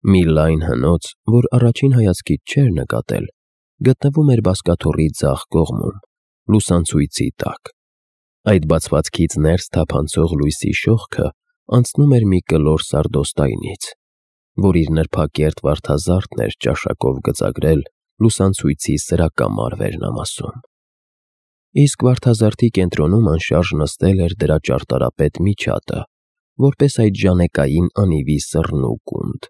Մի լայն հնոց, որ առաջին հայացքից չէր նկատել, գտնվում էր բազկաթոռի ձախ կողմում, լուսանցույցի տակ։ Այդ բացվածքից ներս թափանցող լույսի շողքը անցնում էր մի կլոր սարդոստայնից, որ իր նրբակերտ վարդազարդն էր ճաշակով գծագրել լուսանցույցի սրակամար վերնամասում։ Իսկ վարդազարդի կենտրոնում անշարժ նստել էր դրա ճարտարապետ միջատը, որպես այդ ժանեկային անիվի սռն ու կունդ։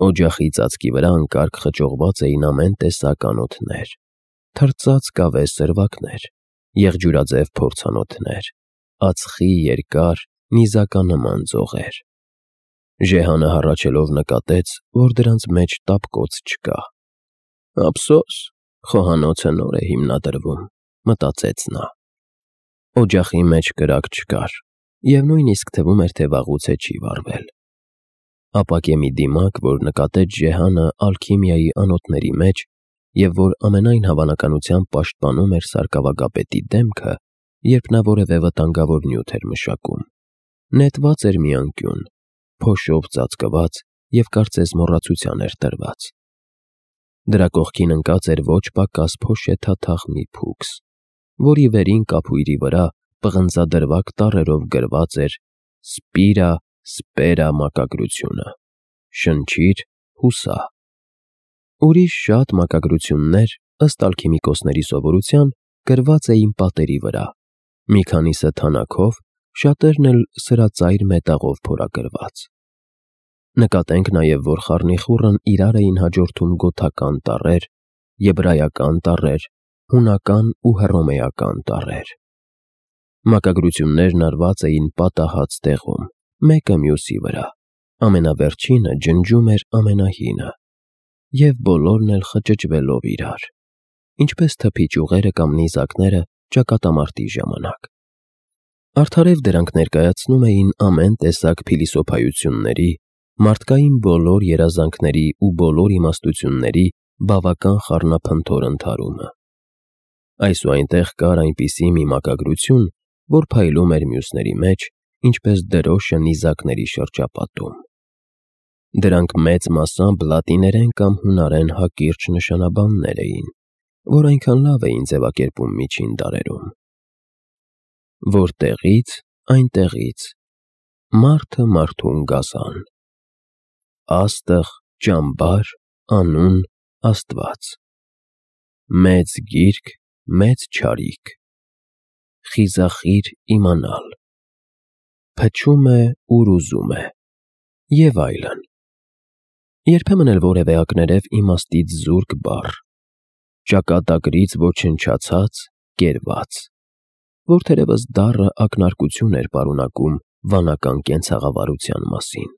Օջախի ծածկի վրա անկարգ խճողված էին ամեն տեսակ անոթներ, թրծած կավե սրվակներ, եղջյուրաձև փորձանոթներ, ածխի երկար, նիզականման ձողեր։ Ժեհանը հառաչելով նկատեց, որ դրանց մեջ տապկոց չկա։ «Ափսոս, խոհանոցը նոր է հիմնադրվում», մտածեց նա։ Օջախի մեջ կրակ չկար, և նույնիսկ թվում էր, թե վաղուց է չի վառվել։ Ապակե մի դիմակ, որ նկատեց Ժեհանը ալքիմիայի անոթների մեջ և որ ամենայն հավանականությամբ պաշտպանում էր սարկավագապետի դեմքը, երբ նա որևէ վտանգավոր նյութ էր մշակում, նետված էր մի անկյուն, փոշով ծածկված և կարծես մոռացության էր տրված։ Դրա կողքին ընկած էր ոչ պակաս փոշեթաթախ մի փուքս, որի վերին կափույրի վրա պղնձադրվակ տառերով գրված էր «Սպիրա Սպերա» մակագրությունը՝ «Շնչիր, հուսա»։ Ուրիշ շատ մակագրություններ, ըստ ալքիմիկոսների սովորության, գրված էին պատերի վրա, մի քանիսը թանաքով, շատերն էլ սրածայր մետաղով փորագրված։ Նկատենք նաև, որ խառնիխուռն իրար էին հաջորդում գոթական տառեր, եբրայական տառեր, հունական ու հռոմեական տառեր։ Մակագրություններն արված էին պատահած տեղում, մեկը մյուսի վրա, ամենավերջինը ջնջում էր ամենահինը, և բոլորն էլ խճճվելով իրար, ինչպես թփի ճյուղերը կամ նիզակները ճակատամարտի ժամանակ։ Արդարև դրանք ներկայացնում էին ամեն տեսակ փիլիսոփայությունների, մարդկային բոլոր երազանքների ու բոլոր իմաստությունների բավական խառնափնթոր ընդհարումը։ Այս ու այնտեղ կար այնպիսի մի մակագրություն, որ փայլում էր մյուսների մեջ, ինչպես դրոշը նիզակների շրջապատում։ Դրանք մեծ մասամբ լատիներեն կամ հունարեն հակիրճ նշանաբաններ էին, որ այնքան լավ էին ձևակերպում միջին դարերում։ Որտեղից, այնտեղից, մարդը մարդուն գազան, աստղ, ճամբար, անուն, Աստված, մեծ գիրք, մեծ չարիք, խիզախիր իմանալ, փչում է, ուր ուզում է, և այլն։ Երբեմն էլ որևէ ակներև իմաստից զուրկ բառ, ճակատագրից ոչնչացած, կերված, որ թերևս դառը ակնարկություն էր պարունակում վանական կենցաղավարության մասին։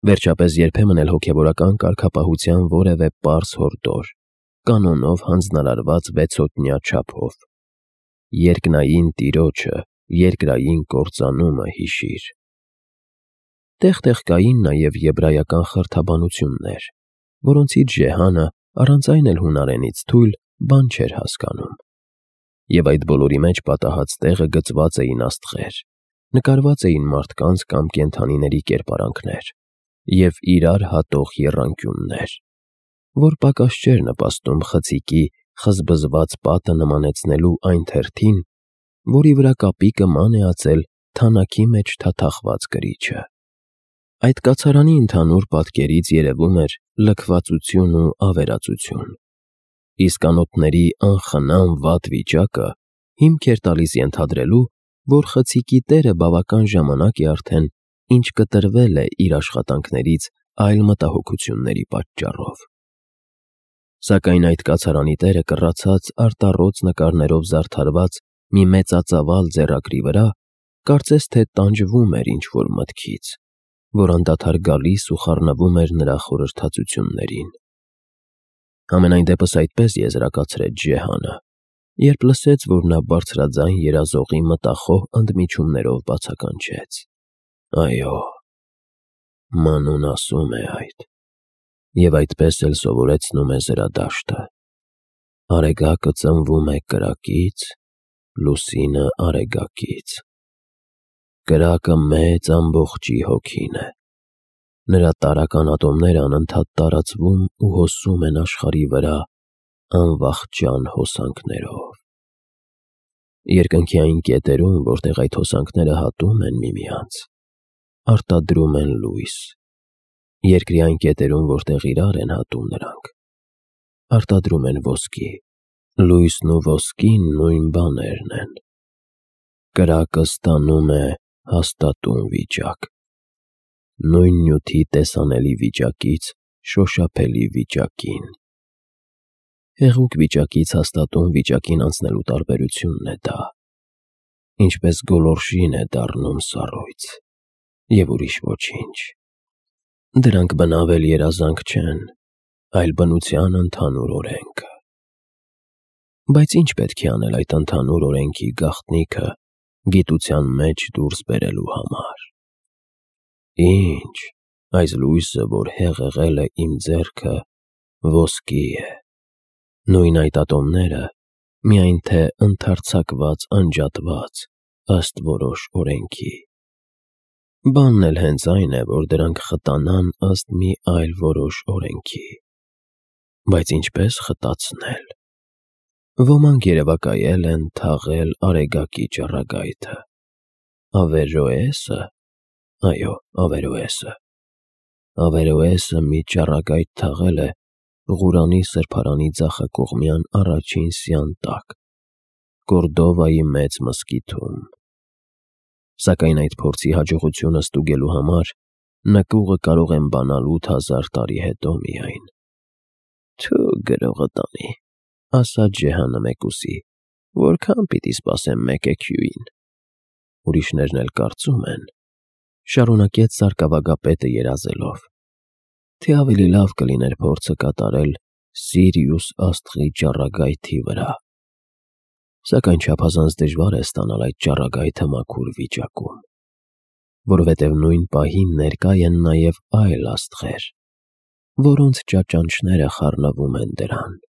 Վերջապես երբեմն էլ հոգևորական կարգապահության որևէ պարզ հորդոր, կանոնով հանձնարարված վեցոտնյա չափով. երկնային տիրոջը, երկրային կործանումը հիշիր։ Տեղ-տեղ կային նաև եբրայական խրթաբանություններ, որոնցից Ժեհանը, առանց այն էլ հունարենից թույլ, բան չէր հասկանում։ Եվ այդ բոլորի մեջ պատահած տեղը գծված էին աստղեր, նկարված էին մարդկանց կամ կենդանիների կերպարանքներ և իրար հատող եռանկյուններ, որ պակաս չէր նպաստում խցիկի խզբզված պատը նմանեցնելու այն թերթին, որի վրա կապիկը ման է ածել թանաքի մեջ թաթախված կրիչը։ Այդ կացարանի ընդհանուր պատկերից երևում էր լքվածություն ու ավերածություն, իսկ անոթների անխնամ վատ վիճակը հիմք էր տալիս ենթադրելու, որ խցիկի տերը բավական ժամանակ է արդեն ինչ կտրվել է իր աշխատանքներից այլ մտահոգությունների պատճառով։ Սակայն այդ կացարանի տերը կռացած արտառոց նկարներով զարդարված մի մեծածավալ ձեռագրի վրա կարծես թե տանջվում էր ինչ-որ մտքից, որ անդադար գալիս ու խառնվում էր նրա խորհրդածություններին։ Համենայն դեպս այդպես եզրակացրեց Ժեհանը, երբ լսեց, որ նա բարձրաձայն երազողի մտախոհ ընդմիջումներով բացականչեց. «Այո, մանուն ասում է այդ, և այդպես էլ սովորեցնում է զրադաշտը. արեգակը ծնվում է կրակից, լուսինը արեգակից։ Կրակը մեծ ամբողջի հոգին է, Նրա տարական ատոմները անընդհատ տարածվում ու հոսում են աշխարհի վրա անվախճան հոսանքներով։ Երկնքի այն կետերում, որտեղ այդ հոսանքները հատում են միմյանց, արտադրում են լույս։ Երկրի այն կետերում, որտեղ իրար են հատում նրանք, արտադրում են ոսկի։ Լույսն ու ոսկին նույն բաներն են։ Կրակը ստանում է հաստատուն վիճակ, նույն նյութի տեսանելի վիճակից շոշափելի վիճակին։ Հեղուկ վիճակից հաստատուն վիճակին անցնելու տարբերությունն է դա, ինչպես գոլորշին է դառնում սառույց, և ուրիշ ոչինչ։ Դրանք բնավել երազանք չեն, այլ բնության ընդհանուր օրենքը։ Բայց ինչ պետք է անել այդ ընդհանուր օրենքի գաղտնիքը գիտության մեջ դուրս բերելու համար։ Ինչ, այս լույսը, որ հեղեղել է իմ ձեռքը, ոսկի է, նույն այդ ատոմները, միայն թե ընդարձակված, անջատված, ըստ որոշ օրենքի։ Բանն էլ հենց այն է, որ դրանք խտանան ըստ մի այլ որոշ օրենքի։ Բայց ինչպես խտացնել։ Ոմանք երևակայել են թաղել Արեգակի ճառագայթը։ Ավերոեսը, այո, Ավերոեսը։ Ավերոեսը մի ճառագայթ թաղել է Ղուրանի սրբարանի ձախակողմյան առաջին սյան տակ, Կորդովայի մեծ մզկիթում։ Սակայն այդ փորձի հաջողությունը ստուգելու համար նկուղը կարող են բանալ 8000 տարի հետո միայն։ Թու գրողը տանի, ասաց Ջեհաննեմեկուսի, որքան պիտի սպասեմ մեկ էքյուին։ Ուրիշներն էլ կարծում են, շարունակեց սարկավագապետը երազելով, թե ավելի լավ կլիներ փորձը կատարել Սիրիուս աստղի ճառագայթի վրա։ Սակայն չափազանց դժվար է ստանալ այդ ճառագայթը մաքուր վիճակում, որովհետև նույն պահին ներկա են նաև այլ աստղեր, որոնց ճաճանճները խառնվում են դրան։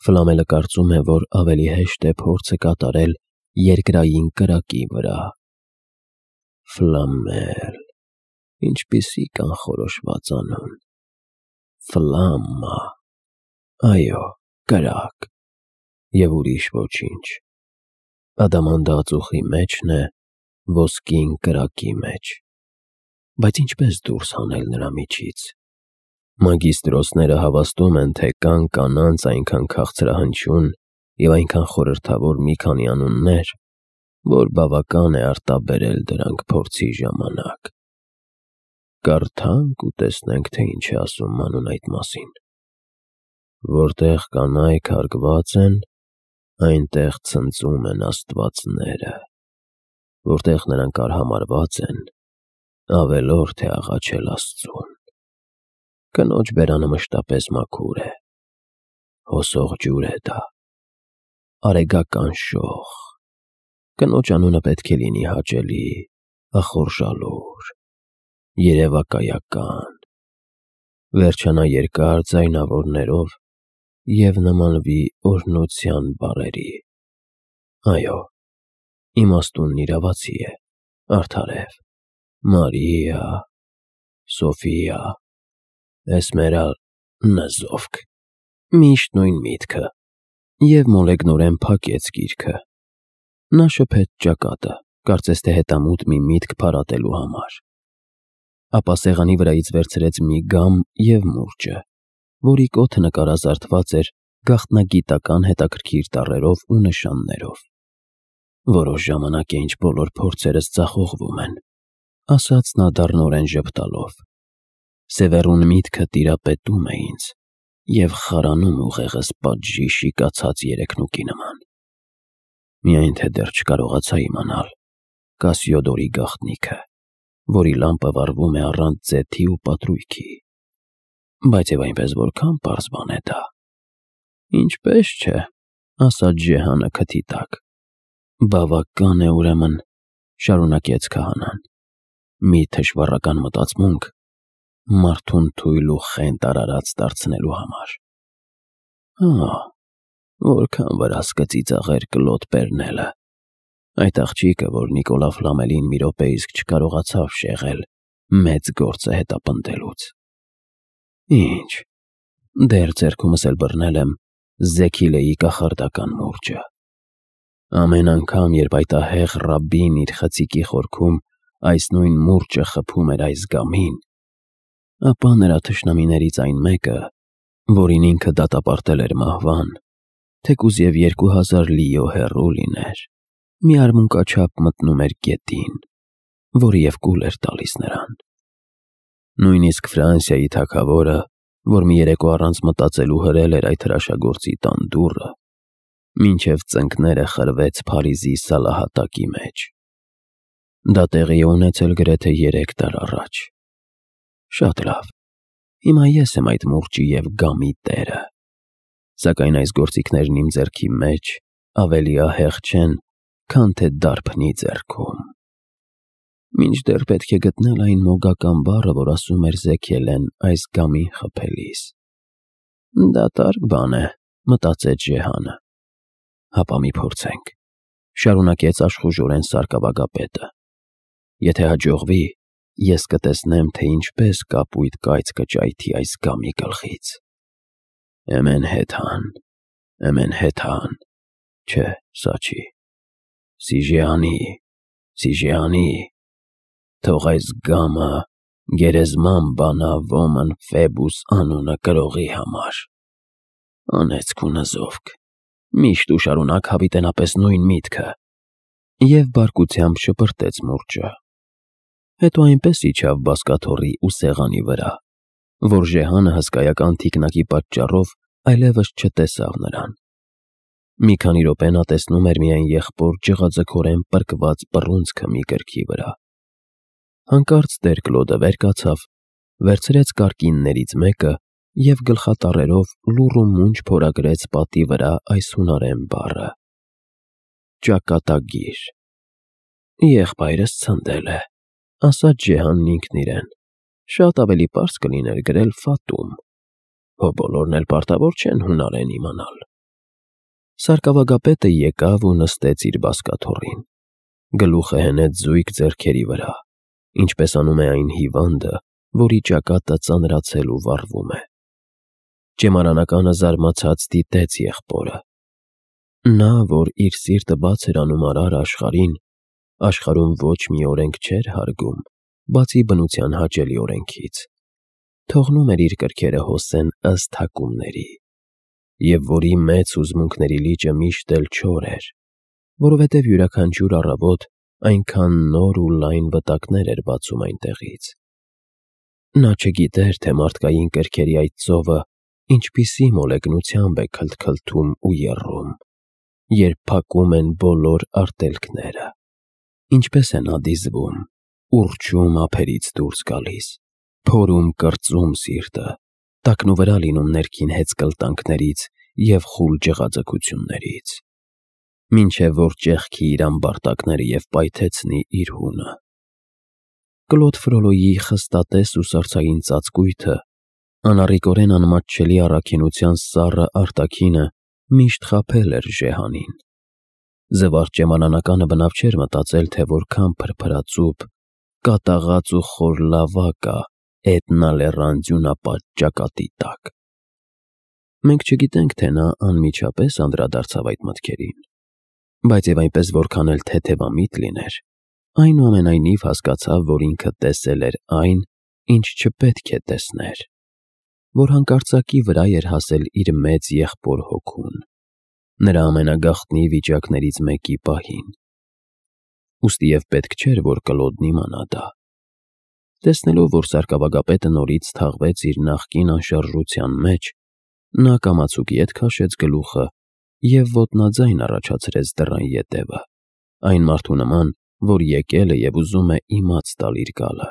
Ֆլամելը կարծում է, որ ավելի հեշտ է փորձը կատարել երկրային կրակի վրա։ Ֆլամել, ինչպիսի կանխորոշված անուն։ Ֆլամմա, այո, կրակ, և ուրիշ ոչինչ։ Ադամանդածուխի մեջն է, ոսկին կրակի մեջ։ Բայց ինչպես դուրս հանել նրա միջից։ Մագիստրոսները հավաստում են, թե կան կանանց այնքան քաղցրահնչյուն և այնքան խորհրդավոր մի քանի անուններ, որ բավական է արտաբերել դրանք փորձի ժամանակ։ Կարդանք ու տեսնենք, թե ինչ է ասում մանուն այդ մասին։ Որտեղ կանայք հարգված են, այնտեղ ցնծում են աստվածները, որտեղ նրանք արհամարհված են, ավելորդ է աղաչել Աստծուն։ Կնոջ բերանը մշտապես մաքուր է, հոսող ջուր է դա, արեգական շող։ Կնոջ անունը պետք է լինի հաճելի, ախորժալուր, երևակայական, վերջանա երկար ձայնավորներով և նմանվի օրհնության բառերի։ Այո, իմաստունն իրավացի է, արդարև, Մարիա, Սոֆիա, Նզովք, միշտ նույն միտքը, և մոլեգնորեն փակեց գիրքը։ Նա շփեց ճակատը, կարծես թե հետամուտ մի միտք փարատելու համար։ Ապա սեղանի վրայից վերցրեց մի գամ և մուրճը, որի կոթը նկարազարդված էր գաղտնագիտական հետաքրքիր տառերով ու նշաններով։ Որոշ ժամանակ է, ինչ բոլոր փորձերս ձախողվում են, ասաց նա դառնորեն ժպտալով։ Սևեռուն միտքը տիրապետում է ինձ և խարանում ուղեղս պատժի շիկացած երեքնուկի նման։ Միայն թե դեռ չկարողացա իմանալ Կասիոդորի գաղտնիքը, որի լամպը վառվում է առանց ձեթի ու պատրույգի։ Բայց և այնպես որքան պարզ բան է դա։ Ինչպես չէ, ասաց Ջեհանը քթի տակ։ Բավական է ուրեմն, շարունակեց քահանան, մի թշվառական մտածմունք մարդուն թույլ ու խենթ արարած դարձնելու համար։ Որքան վրաս կծիծաղեր կլոտ Պերնելը, այդ աղջիկը, որ Նիկոլա Ֆլամելին մի րոպե իսկ չկարողացավ շեղել մեծ գործ է հետապնդելուց։ Ինչ, դեռ ձեռքումս էլ բռնել եմ Զեքիլեի կախարդական մուրճը։ Ամեն անգամ, երբ այդ ահեղ ռաբբին իր խցիկի խորքում այս նույն մուրճը խփում էր այս գամին, ապա նրա թշնամիներից այն մեկը, որին ինքը դատապարտել էր մահվան, թեկուզ և 2000 լիո հեռու լիներ, մի արմունկաչափ մտնում էր գետին, որը և կուլ էր տալիս նրան։ Նույնիսկ Ֆրանսիայի թագավորը, որ մի երեկո առանց մտածելու հրել էր այդ հրաշագործի տան դուռը, մինչև ծնկները խրվեց Փարիզի սալահատակի մեջ։ Դա տեղի է ունեցել գրեթե 3 դար առաջ։ Շատ լավ, հիմա ես եմ այդ մուրճի և գամի տերը, սակայն այս գործիքներն իմ ձեռքի մեջ ավելի ահեղ չեն, քան թե դարբնի ձեռքում։ Մինչդեռ պետք է գտնել այն մոգական բառը, որ ասում էր Զեքիելեն այս գամին խփելիս։ Դատարկ բան է, մտածեց Ժեհանը։ Հապա մի փորձենք, շարունակեց աշխուժորեն սարկավագապետը։ Եթե հաջողվի, ես կտեսնեմ, թե ինչպես կապույտ կայծ կճայթի այս գամի գլխից։ Էմեն հեթան, չէ, սա չի, Սիժեանի, թող այս գամը գերեզման բանա ոմն Ֆեբուս անունը կրողի համար։ Անեծք ու նզովք, միշտ ու շարունակ հավիտենապես նույն միտքը։ Եվ բարկությամբ շպրտեց մուրճը։ Հետո այնպես իջավ բազկաթոռի ու սեղանի վրա, որ Ժեհանը հսկայական թիկնակի պատճառով այլևս չտեսավ նրան։ Մի քանի րոպե նա տեսնում էր միայն եղբոր ջղաձգորեն պրկված բռունցքը մի գրքի վրա։ Հանկարծ տեր Կլոդը վեր կացավ, վերցրեց կարկիններից մեկը և գլխատառերով լուռ ու մունջ փորագրեց պատի վրա այս հունարեն բառը. ճակատագիր։ Եղբայրս ցնդել է, ասաց Ժեհանն ինքն իրեն, շատ ավելի պարզ կլիներ գրել Ֆատում, հո բոլորն էլ պարտավոր չեն հունարեն իմանալ։ Սարկավագապետը եկավ ու նստեց իր բազկաթոռին, գլուխը հենեց զույգ ձեռքերի վրա, ինչպես անում է այն հիվանդը, որի ճակատը ծանրացել ու վառվում է։ Ճեմարանականը զարմացած դիտեց եղբորը։ Նա, որ իր սիրտը բաց էր անում արար աշխարհին, աշխարհում ոչ մի օրենք չէր հարգում, բացի բնության հաճելի օրենքից, թողնում էր իր կրքերը հոսեն ըստ հակումների, և որի մեծ հուզմունքների լիճը միշտ էլ չոր էր, որովհետև յուրաքանչյուր առավոտ այնքան նոր ու լայն վտակներ էր բացում այնտեղից։ Նա չգիտեր, թե մարդկային կրքերի այդ ծովը ինչպիսի մոլեգնությամբ է քլթքլթում ու եռում, երբ փակում են բոլոր արտելքները, ինչպես է նա դիզվում, ուռչում ափերից դուրս գալիս, փորում կրծում սիրտը, տակնուվրա լինում ներքին հեծկլտանքներից և խուլ ջղաձգություններից, մինչև որ ճեղքի իր ամբարտակները և պայթեցնի իր հունը։ Կլոդ Ֆրոլոյի խստատես ու սառցային ծածկույթը, անառիկորեն անմատչելի առաքինության սառը արտաքինը միշտ խաբել էր Ժեհանին։ Զվարճ ճեմարանականը բնավ չէր մտածել, թե որքան փրփրածուփ, կատաղած ու խոր լավա կա Էտնա լեռան ձյունապատ ճակատի տակ։ Մենք չգիտենք, թե նա անմիջապես անդրադարձավ այդ մտքերին, բայց և այնպես որքան էլ թեթևամիտ լիներ, այնուամենայնիվ հասկացավ, որ ինքը տեսել էր այն, ինչ չպետք է տեսներ, որ հանկարծակի վրա էր հասել իր մեծ եղբոր հոգուն, նրա ամենագաղտնի վիճակներից մեկի պահին։ Ուստի և պետք չէր, որ Կլոդն իմանա դա։ Տեսնելով, որ սարկավագապետը նորից թաղվեց իր նախկին անշարժության մեջ, նա կամացուկ ետ քաշեց գլուխը և ոտնաձայն առաջացրեց դռան ետևը, այն մարդու նման, որ եկել է և ուզում է իմաց տալ իր գալը։